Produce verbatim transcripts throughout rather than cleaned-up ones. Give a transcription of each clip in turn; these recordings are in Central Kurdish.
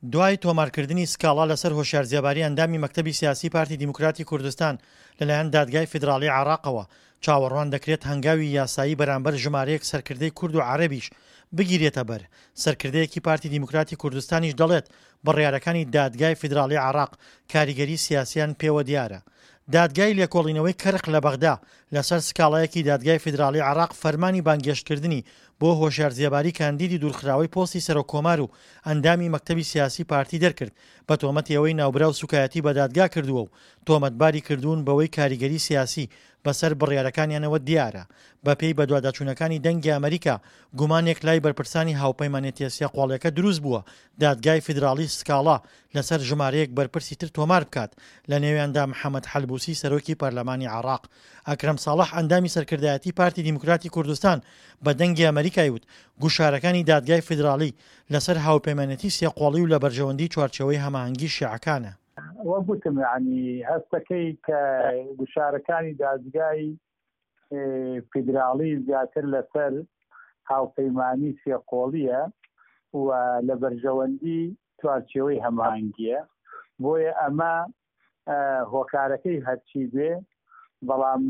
دوای تۆمارکردنی سکاڵا لەسەر هۆشیار زێباری ئەندامی مەکتەبی سیاسی پارتی دیموکراتی کوردستان لەلایەن دادگای فیدراڵی عێراقەوە، چاوەڕوان دەکرێت هەنگاوی یاسایی بەرامبەر ژمارەیەک سەرکردەی کورد و عەرەبیش بگیرێتە بەر، سەرکردەیەکی پارتی دیموکراتی کوردستانیش دەڵێت بڕیارەکانی دادگای فیدراڵی عێراق کاریگەری سیاسیان پێوە دیارە. دادگای لێکۆڵینەوەی کەرخ لە بەغدا لەسەر سکاڵایەکی دادگای فیدراڵی عێراق فەرمانی بانگهێشتکردنی بۆ هۆشیار زێباری کاندیدی دوورخراوەی پۆستی سەرۆککۆمار و ئەندامی مەکتەبی سیاسی پارتی دەرکرد بە تۆمەتی ئەوەی ناوبراو سوکایەتی بە دادگا کردووە و تۆمەتباری کردوون بەوەی کاریگەری سیاسی بەسەر بڕیارەکانیانەوە دیارە. بەپێی بەدواداچوونەکانی دەنگی ئەمەریکا، گومانێک لای بەرپرسانی هاوپەیمانێتیە سێ قۆڵیەکە دروست بووە دادگای فیدراڵی سکاڵا لەسەر ژمارەیەک بەرپرسی تر تۆمار بکات لەنێویاندا محەمەد حەلبوسی سەرۆکی پەرلەمانی عێراق. ئەکرەم ساڵح ئەندامی سەرکردایەتی پارتی دیموکراتی کوردستان بە دەنگی ئەمەریکای وت گوشارەکانی دادگای فیدراڵی لەسەر هاوپەیمانێتی سێ قۆڵی و لە بەرژەوەندی چوارچێوەی هەماهەنگی شیعەکانە. وەک وتم یانی هەستەکەی کە گوشارەکانی دادگای فیدراڵی زیاتر لەسەر هاوپەیمانی سێقۆڵیە و لە بەرژەوەندی چوارچێوەی هەماهەنگیە، بۆیە ئەمە هۆکارەکەی هەرچی بێ بەڵام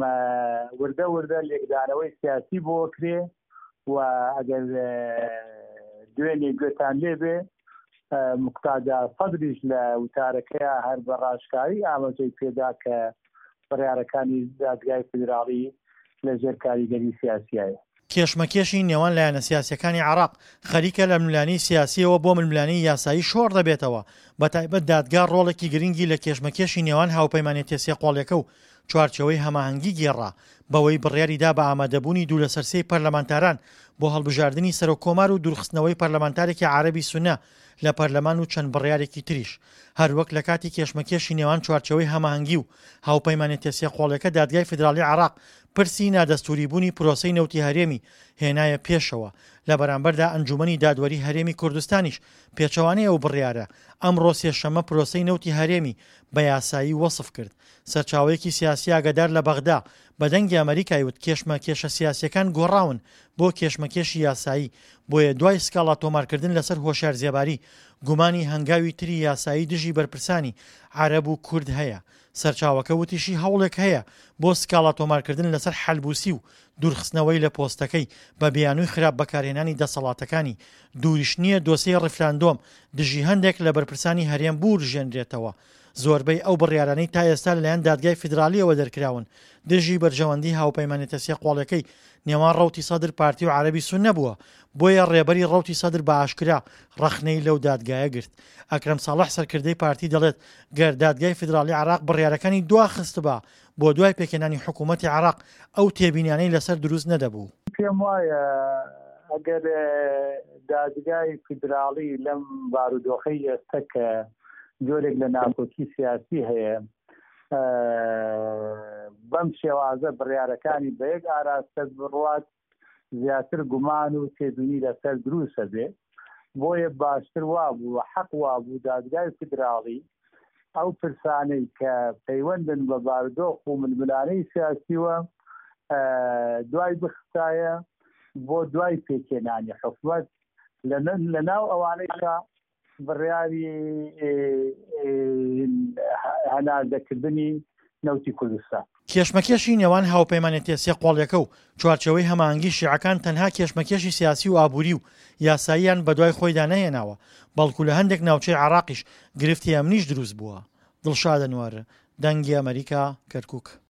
وردە وردە لێکدانەوەی سیاسی بۆ کرێ و ئەگەر دوێنێ گوێتان لێبێ مقتادا سەدریش لە وتارەکەیا هەر بە ڕاشکاوی ئاماژەی پێدا کە بڕیارەکانی دادگای فیدراڵی لە ژێر کاریگەری سیاسیایە. کێشمەکێشی نێوان لایەنە سیاسییەکانی عێراق خەریکە لە ململانێی سیاسییەوە بۆ ململانێی یاسایی شۆڕ دەبێتەوە، بەتایبەت دادگا ڕۆڵێکی گرنگی لە کێشمەکێشی نێوان هاوپەیمانێتیە سێقۆڵیەکە و چوارچێوەی هەماهەنگی گێڕا، بەوەی بڕیاری دا بە ئامادەبوونی دوو لەسەر سێی پەرلەمانتاران بۆ هەڵبژاردنی سەرۆک کۆمار و دوورخستنەوەی پەرلەمانتارێکی عەرەبی سوننە لە پەرلەمان و چەند بڕیارێکی تریش. هەروەک لە کاتی کێشمەکێشی نێوان چوارچێوەی هەماهەنگی و هاوپەیمانێتیە سێقۆڵیەکە دادگای فیدراڵی عێراق پرسی نادەستووریبوونی پرۆسەی نەوتی هەرێمی هێنایە پێشەوە، لە بەرامبەردا ئەنجوومەنی دادوەری هەرێمی کوردستانیش پێچەوانەی ئەو بڕیارە، ئەمڕۆ سێشەممە پرۆسەی نەوتی هەرێمی بە یاسایی وەسف کرد. سەرچاوەیەکی سیاسی ئاگادار لە بەغدا بە دەنگی ئەمەریکای وت کێشمەکێشە سیاسییەکان گۆڕاون بۆ کێشمەکێشی یاسایی، بۆیە دوای سکاڵا تۆمارکردن لەسەر هۆشیار زێباری، گومانی هەنگاوی تری یاسایی دژی بەرپرسانی عەرەب و کورد هەیە. سەرچاوەکە وتیشی هەوڵێک هەیە بۆ سکاڵا تۆمارکردن لەسەر حەلبوسی و دوورخستنەوەی لە پۆستەکەی بە بیانووی خراپ بەکارهێنانی دەسەڵاتەکانی، دووریش نییە دۆسێی ڕیفراندۆم دژی هەندێک لە بەرپرسانی هەرێم بورژێنرێتەوە. زۆربەی ئەو بڕیارانەی تا ئێستا لەلایەن دادگای فیدرالییەوە دەرکراون دژی بەرژەوەندی هاوپەیمانێتە سێقۆڵیەکەی نێوان ڕەوتی سەدر پارتی و عەرەبی سوننە بووە، بۆیە ڕێبەری ڕەوتی سەدر بە ئاشکرا ڕەخنەی لەو دادگایە گرت. ئەکرەم ساڵح سەرکردەی پارتی دەڵێت گەر دادگای فیدراڵی عێراق بڕیارەکانی دواخستبا بۆ دوای پێکهێنانی حکوومەتی عێراق ئەو تێبینیانەی لەسەر دروست نەدەبوو. پێم وایە ئەگەر دادگای فیدراڵی لەم بارودۆخەی ئێستە کە جۆرێک لە ناکۆکی سیاسی هەیە بەم شێوازە بڕیارەکانی بە یەک ئاراستە بڕوات زیاتر گومان و تێبینی لەسەر دروستە بێ، بۆیە باشتر وابوو و حەق وابوو دادگای فیدراڵی ئەو پرسانەی کە پەیوەندن بە بارودۆخ و ململانێی سیاسیوە دوای بخستایە بۆ دوای پێکهێنانی حکومەت، لەناو ئەوانەیشا بڕیاری هەناردەکردنی نەوتی کوردستان. کێشمەکێشی نێوان هاوپەیمانێتیە سێ قۆڵیەکە و چوارچێوەی هەماهەنگی شیعەکان تەنها کێشمەکێشی سیاسی و ئابووری و یاساییان بەدوای خۆیدا نەهێناوە، بەڵکو لە هەندێک ناوچەی عێراقیش گرفتی ئەمنیش دروست بووە. دڵشاد ئەنوەر، دەنگی ئەمەریکا، کەرکوک.